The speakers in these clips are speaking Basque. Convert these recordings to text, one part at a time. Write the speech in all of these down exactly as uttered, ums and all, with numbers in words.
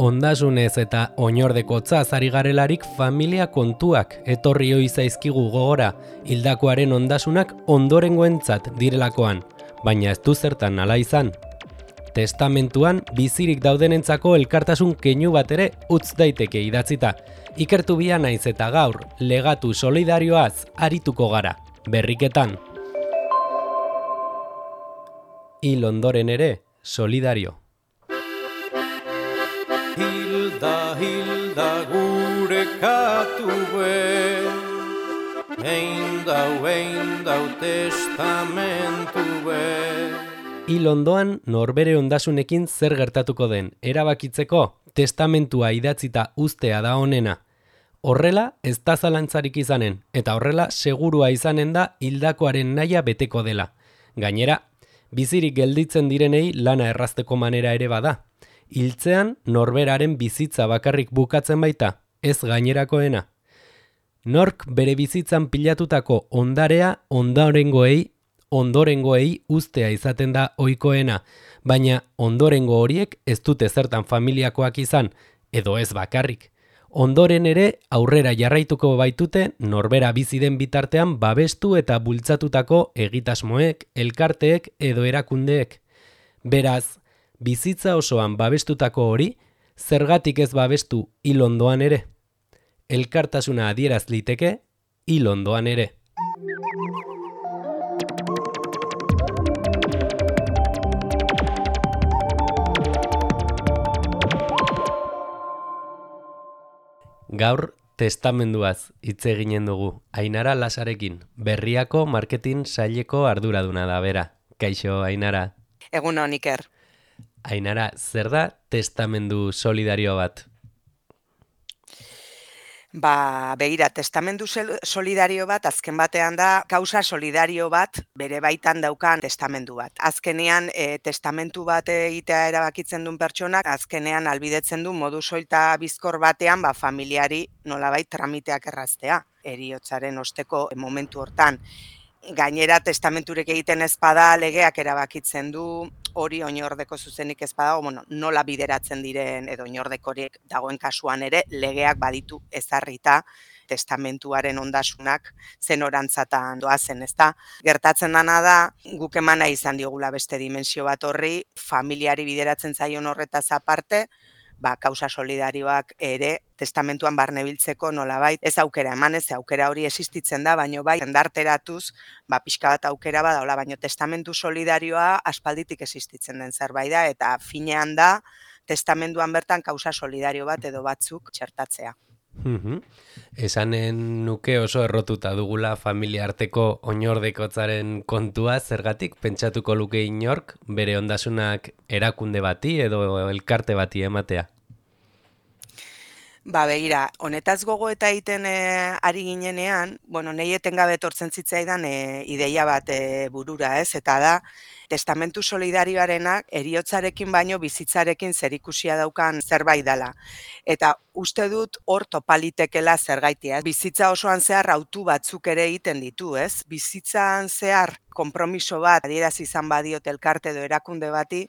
Ondasunez eta oinordekotza ari garelarik familia kontuak etorri ohi zaizkigu gogora, hildakoaren ondasunak ondorengoentzat direlakoan, baina ez du zertan hala izan. Testamentuan bizirik daudenentzako elkartasun keinu bat ere utz daiteke idatzita. Ikertu bia naiz eta gaur legatu solidarioaz arituko gara, berriketan. Hil ondoren ere, solidario. Hilda, hilda gure katue, ein dau, ein dau testamentue. Hil ondoan norbere ondasunekin zer gertatuko den erabakitzeko testamentua idatzita uztea da onena. Horrela ez da zalantzarik izanen, eta horrela segurua izanen da hildakoaren nahia beteko dela. Gainera, bizirik gelditzen direnei lana errazteko manera ere bada. Hiltzean norberaren bizitza bakarrik bukatzen baita, ez gainerakoena. Nork bere bizitzan pilatutako ondarea ondorengoei, ondorengoei uztea izaten da ohikoena, baina ondorengo horiek ez dute zertan familiakoak izan, edo ez bakarrik. Ondoren ere aurrera jarraituko baitute norbera bizi den bitartean babestu eta bultzatutako egitasmoek, elkarteek edo erakundeek. Beraz, bizitza osoan babestutako hori, zergatik ez babestu hil ondoan ere. Elkartasuna adieraz liteke, hil ondoan ere. Gaur testamenduaz hitz eginen dugu. Ainara Lasarekin, Berriako marketing saileko arduraduna da bera. Kaixo, Ainara. Egun on, Iker. Ainara, zer da testamendu solidario bat? Ba, begira, testamendu solidario bat, azken batean da, kausa solidario bat, bere baitan daukan testamendu bat. Azkenean, e, testamentu bat egitea erabakitzen duen pertsonak, azkenean albidetzen du modu soilta bizkor batean, ba, familiari nolabait tramiteak erraztea, heriotzaren osteko momentu hortan. Gainera, testamenturek egiten ez bada legeak erabakitzen du, hori oinordeko zuzenik ez badago, bueno, nola bideratzen diren edo oinordekoriek dagoen kasuan ere legeak baditu ezarrita testamentuaren ondasunak zenorantzatan doazen, ezta? Gertatzen dana da, guk emana izan diogula beste dimensio bat horri, familiari bideratzen zaion horretaz aparte, ba, kausa solidarioak ere testamentuan barnebiltzeko nolabait ez aukera eman, ez aukera hori existitzen da, baino bai endarteratuz, ba, pixka bat aukera badaola, baino testamentu solidarioa aspalditik existitzen den zerbait da, eta finean da testamentuan bertan kausa solidario bat edo batzuk txertatzea. Mhm. Esanen nuke oso errotuta dugula familia arteko oinordekotzaren kontua, zergatik pentsatuko luke inork bere ondasunak erakunde bati edo elkarte bati ematea. Ba, begira, honetaz gogo eta egiten e, ari ginenean, bueno, nahi etengabe etortzen zitzaidan e, ideia bat e, burura, ez? Eta da, testamentu solidarioarenak heriotzarekin baino bizitzarekin zerikusia daukan zerbait dela. Eta uste dut hor topalitekela zergaitia. Bizitza osoan zehar autu batzuk ere egiten ditu, ez? Bizitzan zehar konpromiso bat adieraz izan badiot elkarte edo erakunde bati,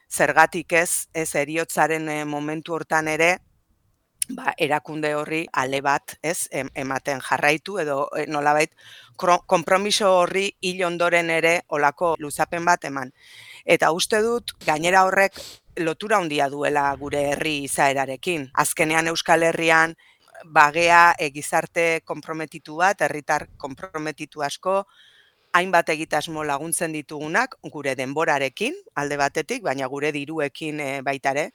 zergatik ez, ez heriotzaren e, momentu hortan ere, ba, erakunde horri ale bat, ez, ematen jarraitu edo nolabait konpromiso horri hil ondoren ere olako luzapen bat eman. Eta uste dut gainera horrek lotura handia duela gure herri izaerarekin. Azkenean Euskal Herrian bagea e, gizarte konprometitu bat, herritar konprometitu asko, hainbat egitasmo laguntzen ditugunak gure denborarekin alde batetik, baina gure diruekin e, baita ere,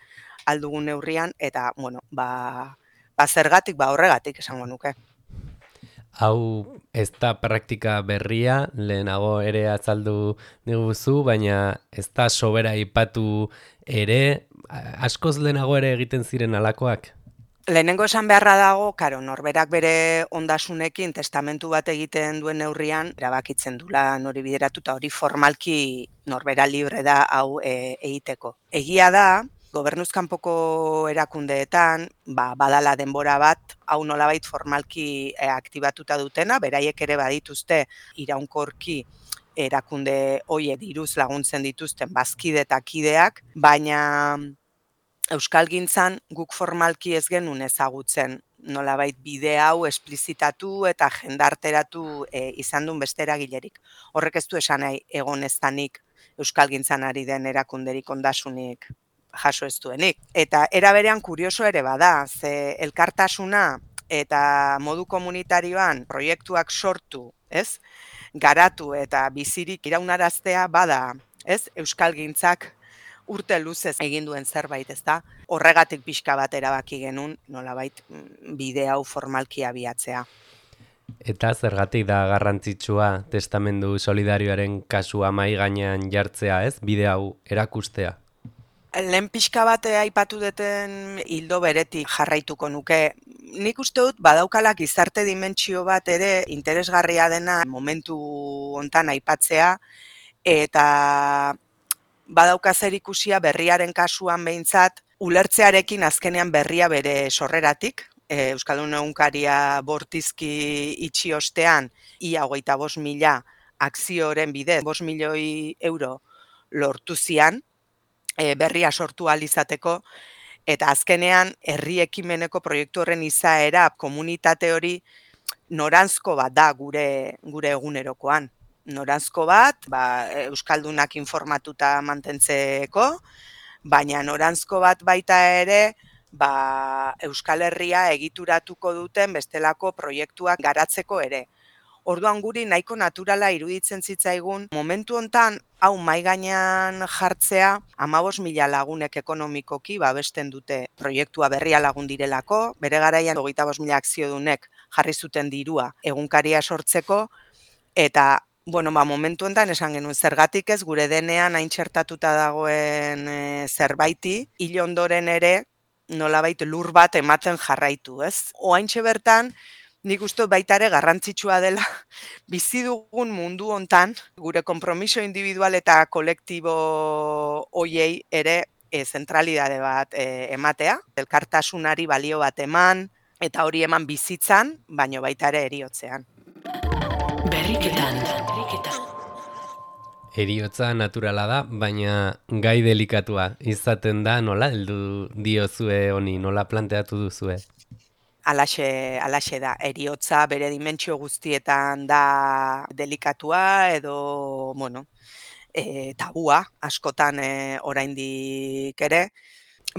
aldugun neurrian, eta, bueno, ba, ba zergatik, ba horregatik esango nuke. Hau ez da praktika berria, lehenago ere azaldu diguzu, baina ez da sobera aipatu ere, askoz lehenago ere egiten ziren alakoak? Lehenengo esan beharra dago, karo, norberak bere ondasunekin testamentu bat egiten duen neurrian, erabakitzen dula nori bideratuta hori formalki norbera libre da hau e, egiteko. Egia da, gobernuzkanpoko erakundeetan, ba, badala denbora bat, hau nolabait formalki e, aktibatuta dutena, beraiek ere badituzte iraunkorki erakunde hoiek diruz laguntzen dituzten bazkide eta kideak, baina euskalgintzan guk formalki ez genuen ezagutzen, nolabait bide hau esplizitatu eta jendarteratu e, izan duen beste eragilerik. Horrek ez du esan nahi egon ez danik euskalgintzan ari den erakunderik ondasunik jaso ez duenik. Eta era berean kurioso ere bada, ze elkartasuna eta modu komunitarioan proiektuak sortu, ez? Garatu eta bizirik iraunaraztea bada, ez? Euskalgintzak urte luzez egin duen zerbait, ezta? Horregatik pixka bat erabaki genuen, nolabait bide hau formalki abiatzea. Eta zergatik da garrantzitsua testamendu solidarioaren kasua mahai gainean jartzea, ez? Bide hau erakustea. Lehen pixka bat aipatu duten hildo beretik jarraituko nuke. Nik uste dut badaukala gizarte dimentsio bat ere interesgarria dena momentu hontan aipatzea, eta badauka zer ikusia berriaren kasuan behintzat, ulertzearekin azkenean berria bere sorreratik, e, Euskaldun egunkaria bortizki itxi ostean, ia hogeita bost mila akzioren bidez, bost milioi euro lortu zian, e, berria sortu ahal izateko, eta azkenean herri ekimeneko proiektu horren izaera komunitate hori noranzko bat da gure gure egunerokoan. Noranzko bat, ba, euskaldunak informatuta mantentzeko, baina noranzko bat baita ere, ba, Euskal Herria egituratuko duten bestelako proiektuak garatzeko ere. Orduan guri nahiko naturala iruditzen zitzaigun, momentu hontan hau mahai gainean jartzea, hamabost mila lagunek ekonomikoki babesten dute proiektua berria lagun direlako, bere garaian hogeita bost mila akziodunek jarri zuten dirua egunkaria sortzeko, eta bueno, ba, momentu hontan esan genuen zergatik ez gure denean hain txertatuta dagoen e, zerbaiti, hil ondoren ere nolabait lur bat ematen jarraitu, ez? Oaintxe bertan, nik uste baita ere garrantzitsua dela bizi dugun mundu hontan gure konpromiso individual eta kolektibo hoiei ere e, zentralidade bat e, ematea, elkartasunari balio bat eman, eta hori eman bizitzan, baino baita ere eriotzean. Berriketan. Heriotza naturala da, baina gai delikatua izaten da, nola heldu diozue honi, nola planteatu duzue? Alaxe, alaxe da, heriotza bere dimentsio guztietan da delikatua edo, bueno, e, tabua askotan e, oraindik ere,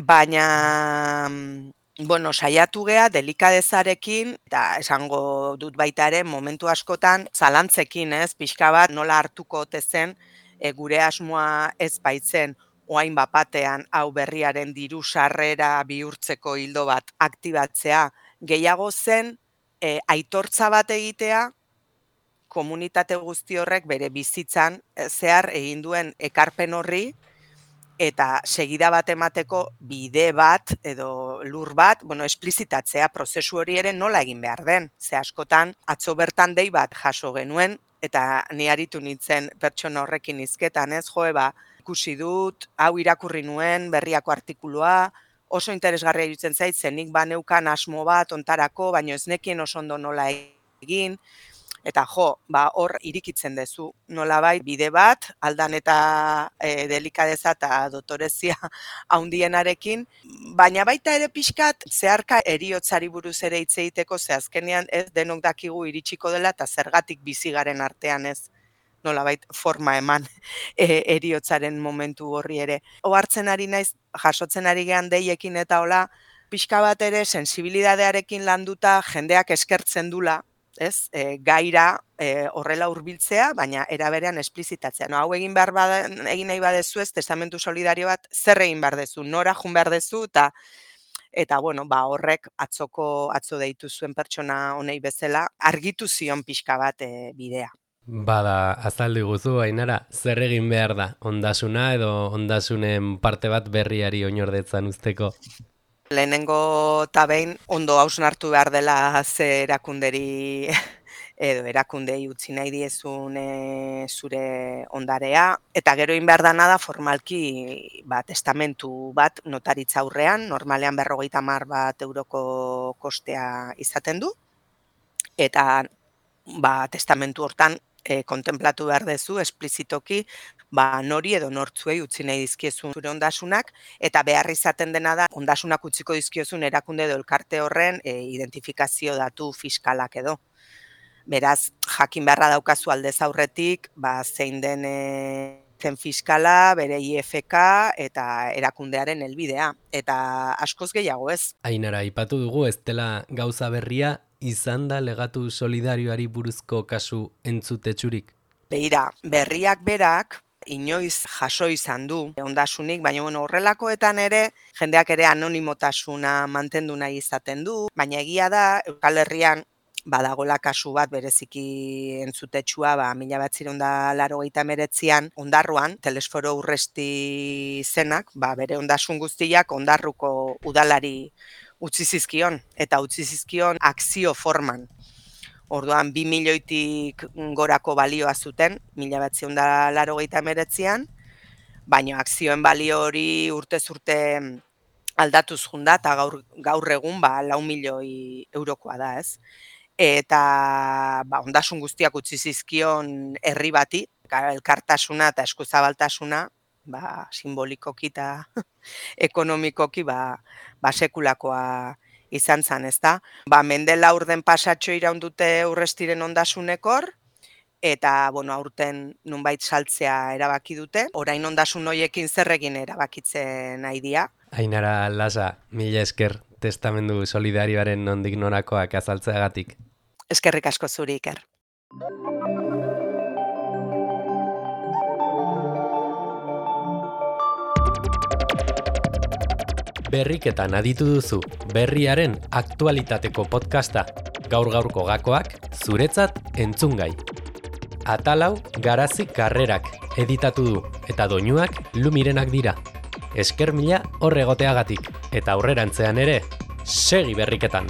baina bueno, saiatu gea delikadezarekin, eta esango dut baita ere momentu askotan zalantzekin, ez, pixka bat nola hartuko ote zen e, gure asmoa ez baitzen oain bapatean hau berriaren diru sarrera bihurtzeko hildo bat aktibatzea, gehiago zen e, aitortza bat egitea komunitate guzti horrek bere bizitzan e, zehar egin duen ekarpen horri eta segida bat emateko bide bat edo lur bat, bueno, esplizitatzea prozesu hori ere nola egin behar den. Ze askotan atzo bertan dei bat jaso genuen eta ni aritu nintzen pertsona horrekin hizketan, ez joe ba, ikusi dut, hau irakurri nuen berriako artikulua, oso interesgarria iruditzen zait, zenik baneukan asmo bat ontarako, baino ez nekien oso ondo nola egin, eta jo, ba, hor irikitzen dezu nolabait bide bat, aldan eta e, delikadeza eta dotorezia haundienarekin, baina baita ere pixkat zeharka eriotzari buruz ere hitz egiteko, ze azkenean ez denok dakigu iritsiko dela eta zergatik bizi garen artean ez nolabait forma eman e, eriotzaren momentu horri ere. Ohartzen ari naiz, jasotzen ari gean deiekin eta hola, pixka bat ere sensibilidadearekin landuta jendeak eskertzen dula, ez, e, gaira e, horrela hurbiltzea, baina era berean esplizitatzea. No, hau egin behar bada, egin nahi badezu ez, testamentu solidario bat, zer egin behar dezu, nora jun behar dezu, eta eta bueno, ba, horrek atzoko atzo deitu zuen pertsona honei bezala, argitu zion pixka bat e, bidea. Bada, azaldu guzu, Ainara, zer egin behar da, ondasuna edo ondasunen parte bat berriari oinordetzan usteko? Lehenengo eta behin ondo hausnartu behar dela ze erakunderi edo erakundei utzi nahi diezun e, zure ondarea, eta gero egin behar dana da formalki ba, testamentu bat notaritza aurrean, normalean berrogeita hamar bat euroko kostea izaten du, eta ba, testamentu hortan e, kontemplatu behar dezu esplizitoki ba, nori edo nortzuei utzi nahi dizkiezun zure ondasunak, eta behar izaten dena da, ondasunak utziko dizkiozun erakunde edo elkarte horren e, identifikazio datu fiskalak edo. Beraz, jakin beharra daukazu aldez aurretik, ba, zein den e, zen fiskala, bere I F K eta erakundearen helbidea, eta askoz gehiago ez. Ainara, aipatu dugu ez dela gauza berria, izan da legatu solidarioari buruzko kasu entzutetsurik? Beira, berriak berak, inoiz jaso izan du ondasunik, baina bueno, horrelakoetan ere, jendeak ere anonimotasuna mantendu nahi izaten du, baina egia da, Euskal Herrian badagola kasu bat bereziki entzutetsua, ba, mila batzireun eta laurogeita hemeretzian Ondarruan, Telesforo Urresti zenak, ba, bere ondasun guztiak Ondarruko udalari utzi zizkion, eta utzi zizkion akzio forman. Orduan, bi milioitik gorako balioa zuten, mila batzireun eta laurogeita hemeretzian, baina akzioen balio hori urtez urte aldatuz junda, eta gaur, gaur egun ba, lau milioi eurokoa da, ez? Eta ba, ondasun guztiak utzi zizkion herri bati, elkartasuna eta eskuzabaltasuna, ba, simbolikoki eta ekonomikoki ba, ba, sekulakoa izan zan, ezta? Ba, mende laurden pasatxo iraun dute Urrestiren ondasunekor, eta bueno, aurten nunbait saltzea erabaki dute, orain ondasun hoiekin zer egin erabakitzen nahi dira. Ainara Lasa, mila esker testamendu solidarioaren nondik norakoak azaltzeagatik. Eskerrik asko zuri, Iker. Berriketan aditu duzu, berriaren aktualitateko podcasta, gaur-gaurko gakoak, zuretzat entzungai. Atalau Garazi Karrerak editatu du, eta doinuak Lumirenak dira. Esker mila hor egoteagatik, eta aurrerantzean ere, segi berriketan!